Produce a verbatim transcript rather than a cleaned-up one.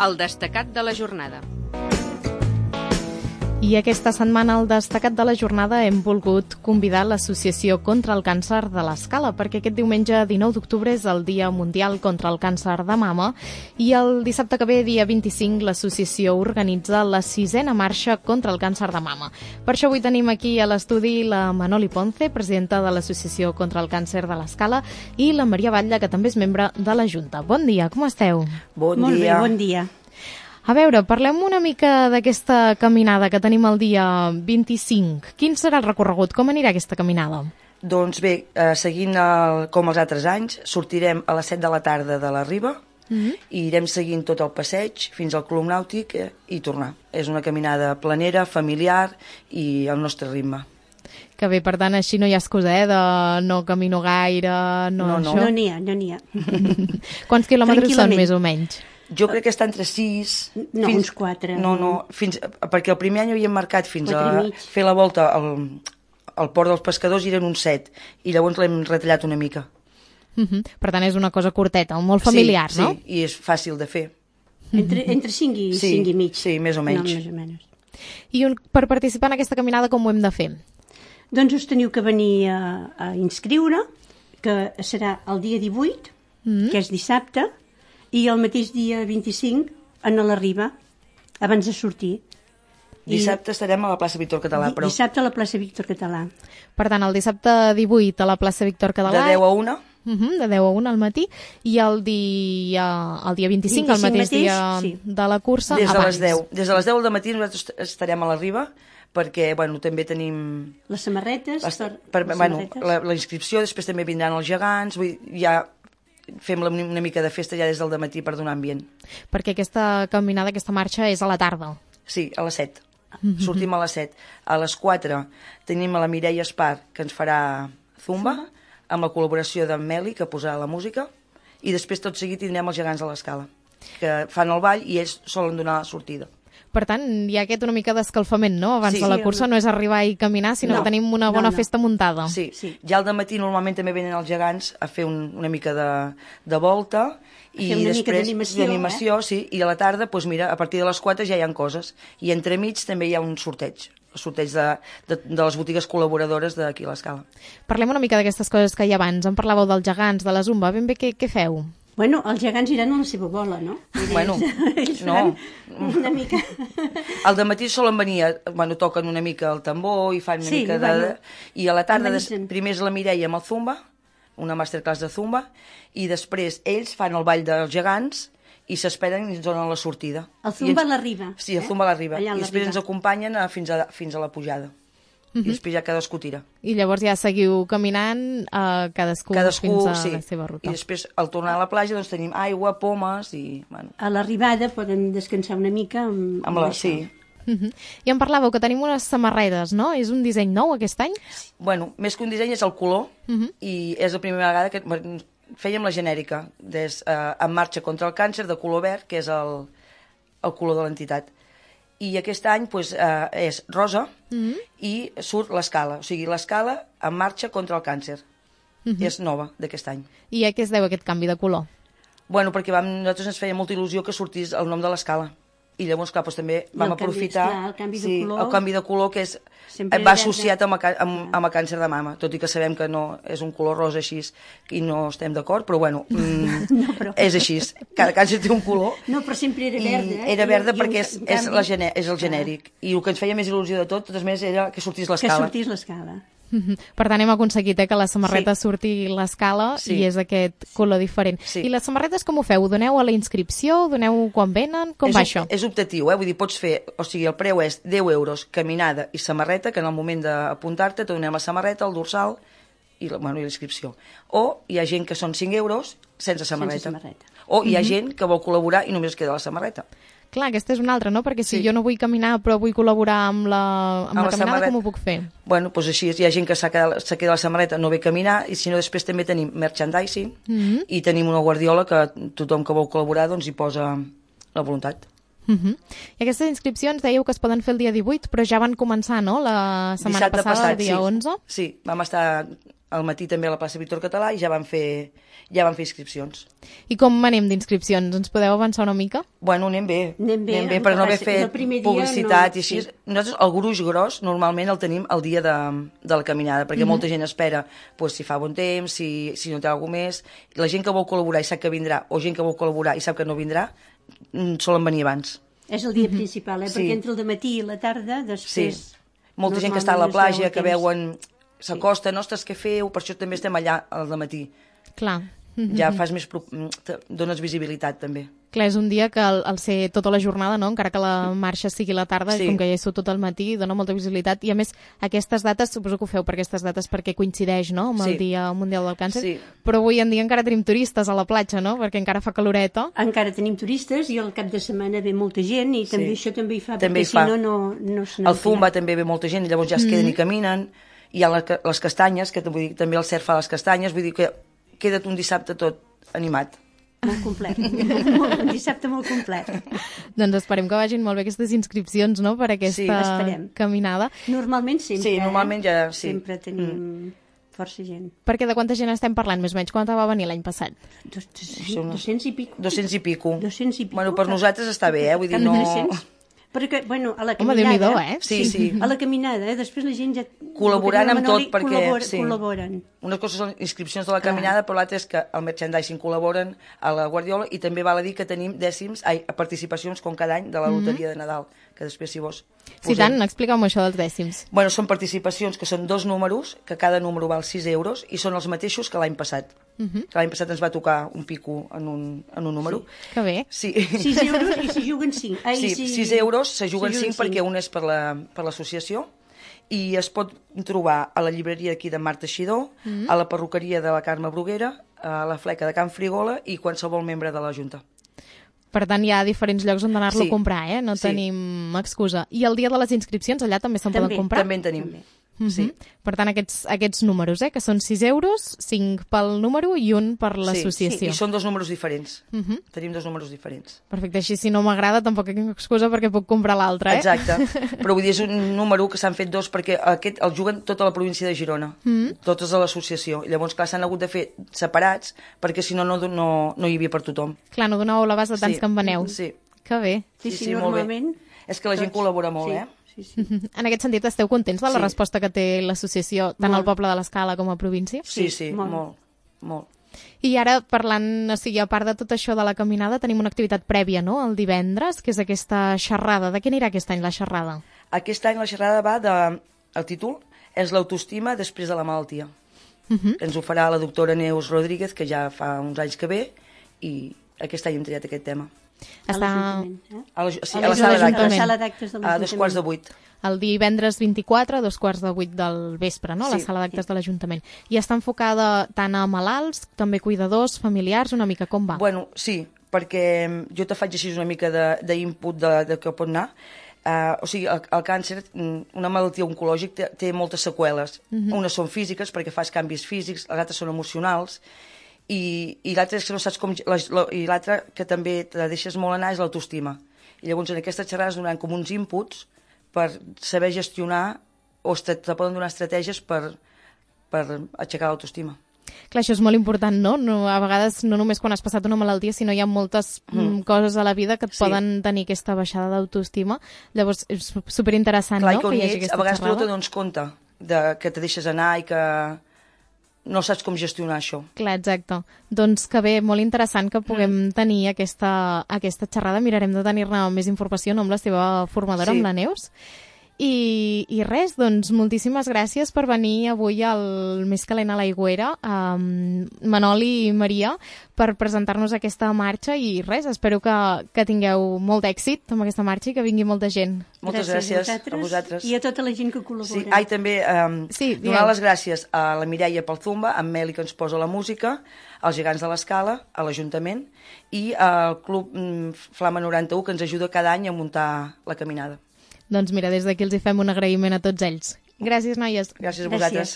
El destacat de la jornada. I aquesta setmana al destacat de la jornada hem volgut convidar l'Associació contra el Càncer de l'Escala, perquè aquest diumenge dinou d'octubre és el Dia Mundial contra el Càncer de Mama i el dissabte que ve, dia vint-i-cinc, l'associació organitza la sisena marxa contra el càncer de mama. Per això avui tenim aquí a l'estudi la Manoli Ponce, presidenta de l'Associació contra el Càncer de l'Escala, i la Maria Batlle, que també és membre de la Junta. Bon dia, com esteu? Bon Molt dia. bé, bon dia. A veure, parlem una mica d'aquesta caminada que tenim el dia vint-i-cinc. Quin serà el recorregut? Com anirà aquesta caminada? Doncs bé, eh, seguint el, com els altres anys, sortirem a les set de la tarda de la Riba mm-hmm. i irem seguint tot el passeig fins al Club Nàutic eh, i tornar. És una caminada planera, familiar i al nostre ritme. Que bé, per tant, així no hi ha excusa, eh, de no camino gaire, no, No, no. això. No n'hi ha, no n'hi ha. Quants quilòmetres són, Tranquil·lament. més o menys? Jo crec que està entre sis... No, uns quatre. No, no, fins, perquè el primer any havíem marcat fins Quatre i a mig. fer la volta al, al port dels pescadors i eren uns set, i llavors l'hem retallat una mica. Uh-huh. Per tant, és una cosa curteta, molt familiar, sí, no? Sí, i és fàcil de fer. Entre, entre cinc i Sí, cinc i mig. sí, més o menys. No, més o menys. I un, per participar en aquesta caminada, com ho hem de fer? Doncs us teniu que venir a, a inscriure, que serà el dia divuit, mm. que és dissabte, i el mateix dia vint-i-cinc en la Riba, abans de sortir. Dissabte I... estarem a la plaça Víctor Català, però... Dissabte a la plaça Víctor Català. Per tant, el dissabte divuit a la plaça Víctor Català... De deu a una. Uh-huh, de deu a una al matí, i el dia, el dia vint-i-cinc, el mateix, mateix dia sí. de la cursa, Des de abans. les deu. Des de les deu del matí nosaltres estarem a la Riba, perquè bueno, també tenim... Les samarretes. Les, per, per, les bueno, samarretes. la, la inscripció, després també vindran els gegants, vull, ja fem la, una mica de festa ja des del dematí per donar ambient. Perquè aquesta caminada, aquesta marxa és a la tarda. Sí, a les set. Mm-hmm. Sortim a les set. A les quatre tenim a la Mireia Espar, que ens farà zumba, amb la col·laboració d'en Meli, que posarà la música, i després tot seguit tindrem els gegants a l'Escala, que fan el ball i ells solen donar la sortida. Per tant, hi ha aquest una mica d'escalfament, no? Abans Sí. de la cursa no és arribar i caminar, sinó No. que tenim una bona No, no. festa muntada. Sí. Sí. Ja al dematí normalment també venen els gegants a fer un, una mica de, de volta i fer una mica després d'animació, d'animació, sí, i a la tarda, doncs mira, a partir de les quatre ja hi ha coses. I entremig també hi ha un sorteig, el sorteig de, de, de les botigues col·laboradores d'aquí a l'Escala. Parlem una mica d'aquestes coses que hi ha abans. Em parlàveu dels gegants, de la zumba. Ben bé, què, què feu? Bueno, els gegants iran a la seva bola, no? Bueno, ells no. faran una mica... Al dematí solen venir, a, bueno, toquen una mica el tambor i fan una Sí, mica de... bueno. I a la tarda, des, Organitzen. primer és la Mireia amb el zumba, una masterclass de zumba, i després ells fan el ball dels gegants i s'esperen i ens donen la sortida. El I zumba ens... a la Riba. Sí, el zumba a la Riba. Allà a I la després Riba. ens acompanyen a, fins, a, fins a la pujada. Uh -huh. I després ja cadascú tira. I llavors ja seguiu caminant, eh, cadascú, Cadascú, fins a sí. la seva ruta. I després, al tornar a la platja, doncs tenim aigua, pomes i... Bueno, A l'arribada poden descansar una mica amb, amb la... això. Sí. Uh -huh. I em parlàveu que tenim unes samarretes, no? És un disseny nou aquest any? Bueno, més que un disseny és el color, Uh -huh. i és la primera vegada que bueno, fèiem la genèrica, des, eh, en marxa contra el càncer, de color verd, que és el, el color de l'entitat. I aquest any pues, eh, és rosa Uh -huh. i surt l'escala, o sigui, l'escala en marxa contra el càncer. Uh -huh. És nova d'aquest any. I a què es deu aquest canvi de color? Bueno, perquè vam, nosaltres ens feia molta il·lusió que sortís el nom de l'escala. I llavors, clar, doncs, també vam el canvi, aprofitar esclar, el canvi de sí, color. el canvi de color que és, Sempre va era associat verd. amb, a, amb, amb el càncer de mama, tot i que sabem que no és un color rosa així i no estem d'acord, però bueno, mm, No, però- és així. Cada càncer té un color. No, però sempre era I verda. Eh? era verda I- i perquè un- és, un és, canvi- la gene, és el genèric. I el que ens feia més il·lusió de tot, de totes maneres, era que sortís Que l'escala. sortís l'escala. Uh -huh. Per tant, hem aconseguit eh, que la samarreta Sí. surti l'escala Sí. i és aquest color diferent. Sí. I les samarretes com ho feu? Ho doneu a la inscripció? Ho doneu quan venen? Com és, va op- això? És optatiu, eh? Vull dir, pots fer, o sigui, el preu és deu euros caminada i samarreta, que en el moment d'apuntar-te te donem la samarreta, el dorsal i la, bueno, i la inscripció. O hi ha gent que són cinc euros sense samarreta. Sense samarreta. O hi ha gent que vol col·laborar i només queda la samarreta. Clar, aquesta és una altra, no? Perquè si Sí. jo no vull caminar però vull col·laborar amb la, amb Amb la la caminada, samarreta. com ho puc fer? Bueno, doncs així és. Hi ha gent que s'ha quedat, s'ha quedat la samarreta, no ve a caminar, i si no, després també tenim merchandising, Mm-hmm. i tenim una guardiola que tothom que vol col·laborar doncs hi posa la voluntat. Uh -huh. I aquestes inscripcions dèieu que es poden fer el dia divuit, però ja van començar, no? La setmana Dissabte passada, passat, el dia sí. onze. Sí, vam estar al matí també a la plaça Víctor Català i ja van fer, ja van fer inscripcions. I com anem d'inscripcions? Ens podeu avançar una mica? Bueno, anem bé. Anem bé, anem bé el per que no haver passa és el fet primer dia publicitat no- i així. sí. Nosaltres el gruix gros normalment el tenim el dia de, de la caminada, perquè molta gent espera pues, si fa bon temps, si, si no té alguna més. La gent que vol col·laborar i sap que vindrà, o gent que vol col·laborar i sap que no vindrà, mm, solen venir abans. És el dia principal, eh? Sí. Perquè entre el dematí i la tarda, Sí. després... Molta gent que està a la normalment es platja, veu que el temps. veuen, s'acosten, ostres, què feu? Per això també estem allà al dematí. Clar. Ja fas més... pro- te dones visibilitat, també. Clar, és un dia que al, al ser tota la jornada, no? Encara que la marxa sigui a la tarda, Sí. com que ja hi sou tot el matí, dona molta visibilitat. I a més, aquestes dates, suposo que ho feu per aquestes dates perquè coincideix, no?, amb el Sí. Dia Mundial del Càncer. Sí. Però avui en dia encara tenim turistes a la platja, no?, perquè encara fa caloreta. Encara tenim turistes i al cap de setmana ve molta gent i també Sí. això també hi fa, També perquè hi si fa. no, no, no se Al Zumba també ve molta gent i llavors ja es queden i caminen. Hi ha la, les castanyes, que vull dir, també el cert fa les castanyes, vull dir que queda't un dissabte tot animat. Molt complet. molt, un dissabte molt complet. Doncs esperem que vagin molt bé aquestes inscripcions, no?, per aquesta Sí, esperem. caminada. Normalment sempre, Sí, normalment ja- eh? sí. Sempre tenim força gent. Perquè de quanta gent estem parlant, més o menys? Quanta va venir l'any passat? Dos, dos, Són uns- dos-cents i pico. dos-cents i pico. dos-cents i pico. Bueno, per nosaltres està bé, eh? Vull dir, Cap no... tres-cents. Perquè, bueno, a la Home, caminada... Déu-n'hi-do, eh? Sí, sí. A la caminada, eh? Després la gent ja... Col·laborant amb tot, perquè... Col·labora, sí. col·laboren. Unes coses són inscripcions de la caminada, però l'altra és que el merchandising col·laboren a la Guardiola i també val a dir que tenim dècims, ai, participacions com cada any de la loteria de Nadal, que després, si vols... Sí, posem. tant, explica'm això dels dècims. Bueno, són participacions que són dos números, que cada número val sis euros, i són els mateixos que l'any passat. Uh -huh. Que l'any passat ens va tocar un pico en un, en un número. Que bé. Sí. sis euros i s'hi juguen cinc. Ai, Sí, si... sis euros, se juguen s'hi cinc perquè un és per la- per l'associació i es pot trobar a la llibreria aquí de Marta Xidó, Mm. a la perruqueria de la Carme Bruguera, a la fleca de Can Frigola i qualsevol membre de la Junta. Per tant, hi ha diferents llocs on anar-lo Sí. a comprar, eh? No Sí. tenim excusa. I el dia de les inscripcions, allà també se'n També, poden comprar? També en tenim. També. Mhm. Sí. Per tant, aquests, aquests números, eh? Que són sis euros, cinc pel número i un per l'associació. Sí, i són dos números diferents. Mhm. Tenim dos números diferents. Perfecte, així si no m'agrada tampoc tinc excusa perquè puc comprar l'altre, eh? Exacte. Però vull dir, és un número que s'han fet dos perquè aquest el juguen tota la província de Girona, mm. totes de l'associació. I llavors, clar, s'han hagut de fer separats perquè si no, no, no, no hi havia per tothom. Clar, no donàveu l'abast de tants Sí. que en veneu. Sí. Que bé. Sí, Sí, sí, sí, molt bé. normalment... És que la gent col·labora molt, sí, eh? Sí, sí. En aquest sentit, esteu contents de la Sí. resposta que té l'associació, tant Molt. al poble de l'Escala com a província? Sí, Sí, sí, molt. molt, molt. I ara, parlant, o sigui, a part de tot això de la caminada, tenim una activitat prèvia, no?, el divendres, que és aquesta xerrada. De què anirà aquest any la xerrada? Aquest any la xerrada va de... El títol és l'autoestima després de la malaltia. Uh -huh. Ens ho farà la doctora Neus Rodríguez, que ja fa uns anys que ve, i aquest any hem triat aquest tema. A Està l'Ajuntament, eh? A la, sí, A a la la sala l'Ajuntament. d'actes. A la sala d'actes de A l'Ajuntament. dos quarts de vuit. el divendres vint-i-quatre a dos quarts de vuit del vespre, no?, a la Sí. sala d'actes de l'Ajuntament. I està enfocada tant a malalts, també cuidadors, familiars, una mica com va? Bueno, sí, perquè jo te faig així una mica de- d'input de, de, de què pot anar. Uh, o sigui, el, el càncer, mm, una malaltia oncològica, té, té moltes seqüeles. Uh-huh. Unes són físiques, perquè fas canvis físics, les altres són emocionals, i, i l'altra és que no saps com... La, la, I l'altra, que també te deixes molt anar, és l'autoestima. I llavors en aquestes xerrades donaran com uns inputs per saber gestionar, o te, te poden donar estratègies per, per aixecar l'autoestima. Clar, això és molt important, no? no? A vegades no només quan has passat una malaltia, sinó hi ha moltes mm. coses a la vida que et Sí. poden tenir aquesta baixada d'autoestima. Llavors, és superinteressant, Clar, no?, i quan que hi hi hagi ets, aquesta a vegades tu no te xerrada. dones compte de, que te deixes anar i que no saps com gestionar això. Clar, exacte. Doncs que bé, molt interessant que puguem tenir aquesta, aquesta xerrada. Mirarem de tenir-ne més informació, no?, amb la seva formadora, Sí. amb la Neus. I, I res, doncs moltíssimes gràcies per venir avui al Més calent a l'aigüera, um, Manoli i Maria, per presentar-nos aquesta marxa i res, espero que, que tingueu molt d'èxit amb aquesta marxa i que vingui molta gent. Moltes gràcies, a vosaltres. I a tota la gent que col·labora. Sí, ai, també um, Sí, donar digueu. les gràcies a la Mireia pel Zumba, a en Meli, que ens posa la música, als Gegants de l'Escala, a l'Ajuntament, i al Club mm, Flama noranta-u, que ens ajuda cada any a muntar la caminada. Doncs mira, des d'aquí els hi fem un agraïment a tots ells. Gràcies, noies. Gràcies a Gràcies. vosaltres.